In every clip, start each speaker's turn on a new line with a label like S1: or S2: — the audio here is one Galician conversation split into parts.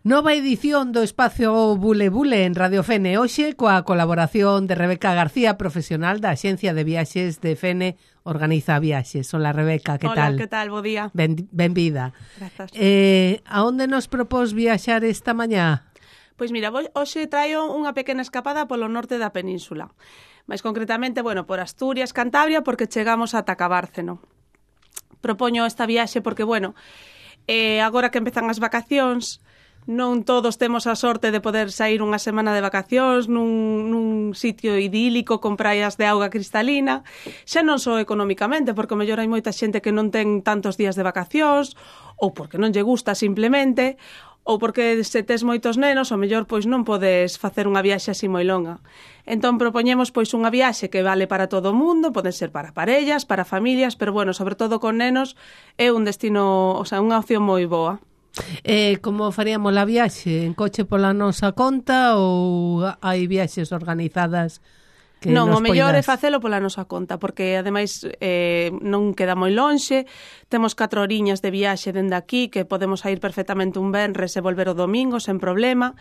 S1: Nova edición do Espacio Bule Bule en Radio Fene, hoxe coa colaboración de Rebeca García, profesional da Axencia de Viaxes de Fene, organiza viaxes. Hola Rebeca, que tal?
S2: Hola, que tal? Bo día.
S1: Benvida.
S2: Grazas.
S1: A onde nos propós viaxar esta mañá?
S2: Pois mira, hoxe traio unha pequena escapada polo norte da península. Mais concretamente, por Asturias, Cantabria, porque chegamos ata Cabárceno. Propoño esta viaxe porque, agora que empezan as vacacións, non todos temos a sorte de poder sair unha semana de vacacións nun sitio idílico con praias de auga cristalina, xa non só económicamente, porque mellor hai moita xente que non ten tantos días de vacacións, ou porque non lle gusta simplemente, ou porque se tes moitos nenos, o mellor non podes facer unha viaxe así moi longa. Entón propoñemos unha viaxe que vale para todo o mundo, poden ser para parellas, para familias, pero sobre todo con nenos, é un destino, unha opción moi boa.
S1: Como faríamos a viaxe? En coche pola nosa conta ou hai viaxes organizadas que
S2: non,
S1: nos
S2: o mellor
S1: poidas?
S2: é facelo pola nosa conta, porque ademais non queda moi lonxe, temos 4 horiñas de viaxe dende aquí, que podemos ir perfectamente un venres e volver o domingo sen problema.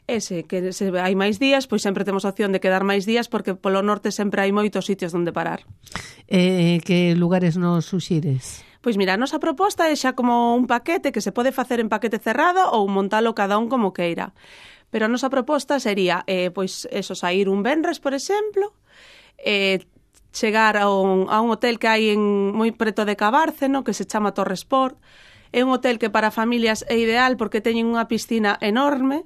S2: Se hai máis días, pois sempre temos a opción de quedar máis días, porque polo norte sempre hai moitos sitios onde parar.
S1: Que lugares nos suxires?
S2: Pois mira, a nosa proposta é xa como un paquete que se pode facer en paquete cerrado ou montalo cada un como queira. Pero a nosa proposta sería, sair un venres, por exemplo, chegar a un hotel que hai moi preto de Cabárceno, que se chama Torre Sport. É un hotel que para familias é ideal porque teñen unha piscina enorme,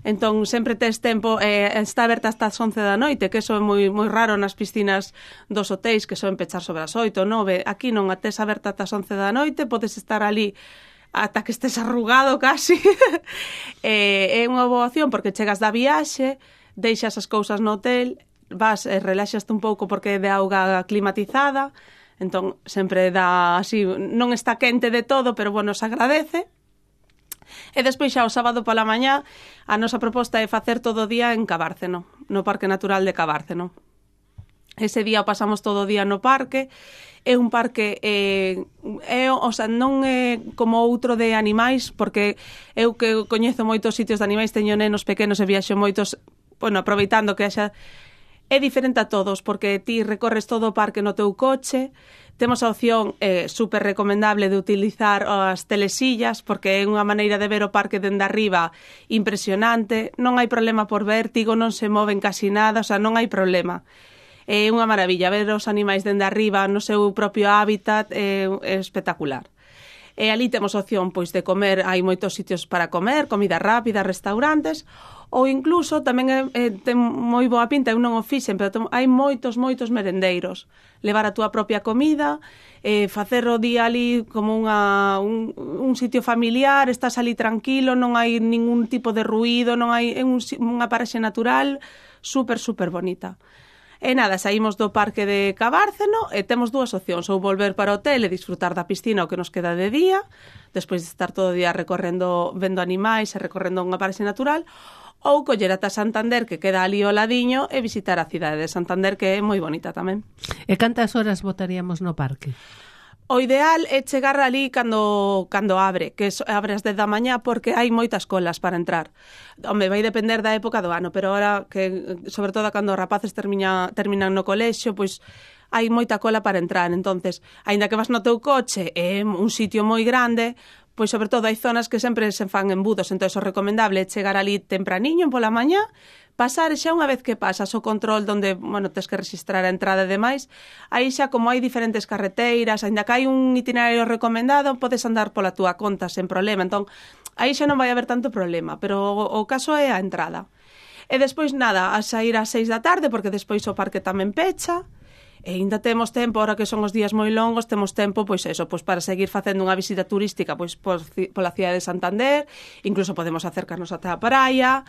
S2: entón sempre tes tempo, está aberta hasta as 11 da noite, que eso é moi raro nas piscinas dos hotéis, que soen pechar sobre as 8 ou 9. Aquí non, a tes aberta ata as 11 da noite, podes estar ali ata que estés arrugado casi. É unha boa opción porque chegas da viaxe, deixas as cousas no hotel, vas e relaxaste un pouco porque é de auga climatizada, entón sempre dá así, non está quente de todo, pero se agradece. E despois xa o sábado pola mañá a nosa proposta é facer todo o día en Cabárceno, no Parque Natural de Cabárceno. Ese día o pasamos todo o día no parque. É un parque non é como outro de animais, porque eu que coñezo moitos sitios de animais, teño nenos pequenos e viaxo moitos, aproveitando que haxa. É diferente a todos, porque ti recorres todo o parque no teu coche. Temos a opción super recomendable de utilizar as telesillas, porque é unha maneira de ver o parque dende arriba impresionante. Non hai problema por vértigo, non se moven casi nada, non hai problema. É unha maravilla ver os animais dende arriba no seu propio hábitat, é espectacular. E ali temos opción de comer, hai moitos sitios para comer, comida rápida, restaurantes, ou incluso tamén ten moi boa pinta, eu non o fixen, pero hai moitos merendeiros. Levar a túa propia comida, facer o día ali como un sitio familiar, estás ali tranquilo, non hai ningún tipo de ruído, non hai unha paraxe natural super bonita. E nada, saímos do parque de Cabárceno e temos dúas opcións, ou volver para o hotel e disfrutar da piscina o que nos queda de día, despois de estar todo o día recorrendo, vendo animais e recorrendo unha paraxe natural, ou coller ata Santander, que queda ali ao ladiño, e visitar a cidade de Santander, que é moi bonita tamén.
S1: E cantas horas botaríamos no parque?
S2: O ideal é chegar ali cando abre, que abre as 10 da mañá, porque hai moitas colas para entrar. Home, vai depender da época do ano, pero ahora que, sobre todo cando os rapaces terminan no colexio, hai moita cola para entrar. Entonces, aínda que vas no teu coche, é un sitio moi grande, sobre todo hai zonas que sempre se fan embudos, entón o recomendable é chegar ali tempraniño pola mañá, pasar xa unha vez que pasas o control donde, tes que registrar a entrada e demais, aí xa como hai diferentes carreteiras, aínda que hai un itinerario recomendado, podes andar pola túa conta sen problema, entón aí xa non vai haber tanto problema, pero o caso é a entrada. E despois nada, a sair ás 6 da tarde, porque despois o parque tamén pecha, e ainda temos tempo, ahora que son os días moi longos, temos tempo, para seguir facendo unha visita turística, pola cidade de Santander, incluso podemos acercarnos ata a praia,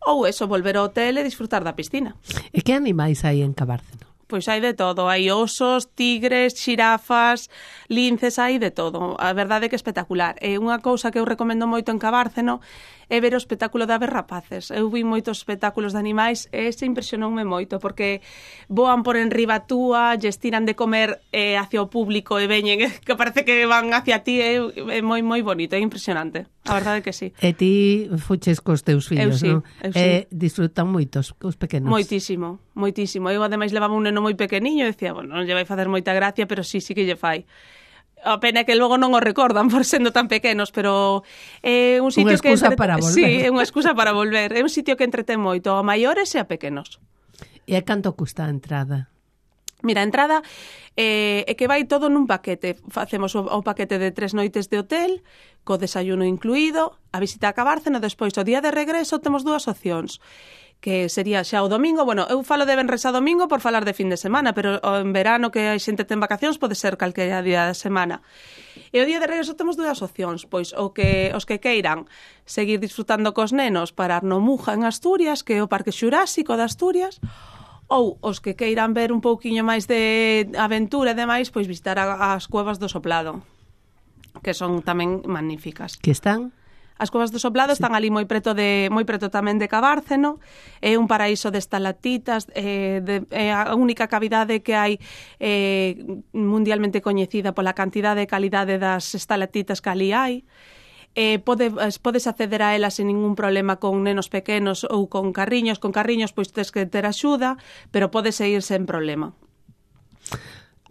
S2: ou volver ao hotel e disfrutar da piscina.
S1: E que animais hai en Cabárceno?
S2: Pois hai de todo, hai osos, tigres, xirafas, linces, hai de todo. A verdade é que é espectacular. E unha cousa que eu recomendo moito en Cabárceno é ver o espectáculo de aves rapaces. Eu vi moitos espectáculos de animais e ese impresionoume moito, porque voan por enriba túa, lle estiran de comer hacia o público e veñen, que parece que van hacia ti, é moi bonito, é impresionante. A verdade que sí.
S1: E ti fuches cos teus fillos, non?
S2: Eu sí.
S1: Disfrutan moito os pequenos.
S2: Moitísimo. Eu ademais levaba un neno moi pequeniño e decía, bueno, non lle vai facer moita gracia, pero sí que lle fai. A pena é que logo non o recordan por sendo tan pequenos, pero é un sitio que...
S1: para volver.
S2: Sí, é unha excusa para volver. É un sitio que entretén moito a maiores e a pequenos.
S1: E a canto custa a entrada?
S2: Mira, a entrada é que vai todo nun paquete. Facemos o paquete de 3 noites de hotel, co desayuno incluído, a visita a Cabárceno, despois o día de regreso temos 2 opcións, que sería xa o domingo. Bueno, eu falo de venres a domingo por falar de fin de semana, pero en verano que a xente ten vacacións pode ser calquera día da semana. E o día de regreso temos 2 opcións, pois os que queiran seguir disfrutando cos nenos, parar no Muja en Asturias, que é o Parque Xurásico de Asturias, ou os que queiran ver un pouquiño máis de aventura e demais, pois visitar as cuevas do Soplado, que son tamén magníficas.
S1: Que están?
S2: As cuevas do Soplado están ali moi preto tamén de Cabárceno, é un paraíso de estalactitas, é a única cavidade que hai mundialmente coñecida pola cantidade e calidade das estalactitas que ali hai. Podes acceder a elas sen ningún problema con nenos pequenos ou con carriños. Con carriños pois tens que ter axuda, pero podes ir sen problema.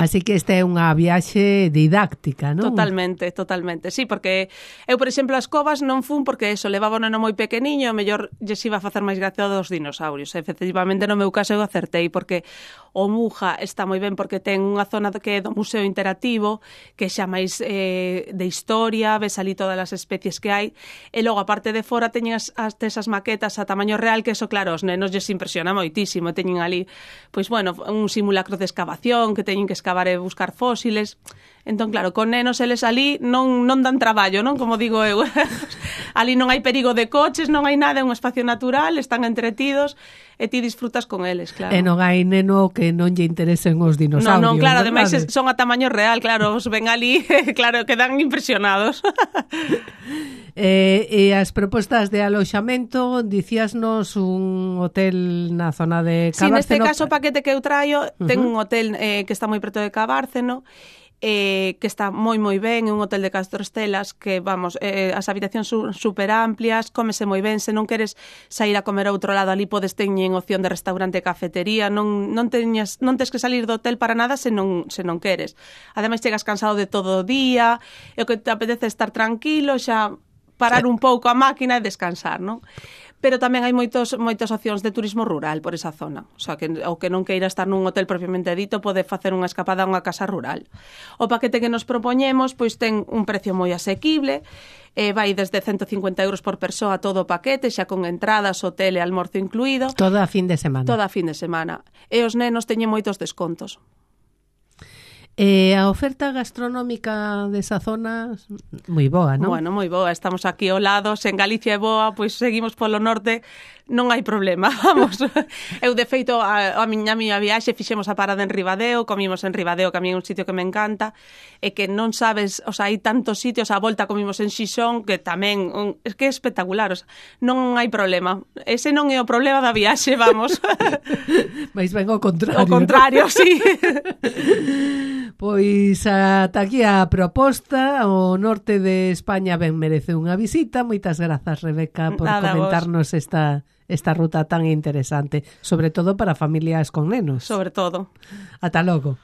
S1: Así que esta é unha viaxe didáctica, non?
S2: Totalmente. Sí, porque eu, por exemplo, as covas non fun porque eso, levaba un neno moi pequeniño, mellor lles iba a facer máis gracia dos dinosaurios. Efectivamente, no meu caso eu acertei, porque o Muja está moi ben porque ten unha zona que é do museo interactivo, que xa máis de historia, ves ali todas as especies que hai, e logo, a parte de fora, teñen esas maquetas a tamaño real, que eso, claro, os nenos lles impresiona moitísimo. Teñen ali, pois, bueno, un simulacro de excavación, que teñen que excavar e buscar fósiles. Entón, claro, con nenos eles ali non dan traballo, non? Como digo eu. Ali non hai perigo de coches, non hai nada, é un espacio natural, están entretidos e ti disfrutas con eles, claro.
S1: E non hai neno que non lle interesen os dinosaurios.
S2: Non, claro, ademais son a tamaño real, claro, os ven ali, claro, quedan impresionados.
S1: E as propostas de aloxamento, dicíasnos un hotel na zona de Cabárceno.
S2: Sí, neste caso o paquete que eu traio ten un hotel que está moi preto de Cabárceno, que está moi ben, é un hotel de 4 estelas que, vamos, as habitacións son super amplias, cómese moi ben, se non queres sair a comer a outro lado, ali podes teñen opción de restaurante e cafetería, non tes que salir do hotel para nada se non queres. Ademais, chegas cansado de todo o día, e o que te apetece estar tranquilo, xa parar un pouco a máquina e descansar, non? Pero tamén hai moitas opcións de turismo rural por esa zona. O sea, que o que non queira estar nun hotel propiamente dito pode facer unha escapada a unha casa rural. O paquete que nos propoñemos pois ten un precio moi asequible, vai desde 150 euros por persoa todo o paquete, xa con entradas, hotel e almorzo incluído.
S1: Toda a fin de semana.
S2: Toda a fin de semana. E os nenos teñen moitos descontos.
S1: A oferta gastronómica desa zona moi boa, non?
S2: Bueno, moi boa, estamos aquí ao lado, se en Galicia é boa, pois seguimos polo norte, non hai problema, vamos. Eu, de feito, a miña viaxe fixemos a parada en Ribadeo, comimos en Ribadeo, que a mí é un sitio que me encanta, e que non sabes, o sea, hai tantos sitios, a volta comimos en Xixón, que tamén, é que é espectacular, o sea, non hai problema. Ese non é o problema da viaxe, vamos.
S1: Mais ben ao contrario.
S2: O contrario, ¿no? Sí.
S1: Pois ata aquí a proposta. O norte de España ben merece unha visita. Moitas grazas, Rebeca, por comentarnos esta ruta tan interesante, sobre todo para familias con nenos.
S2: Sobre todo.
S1: Ata logo.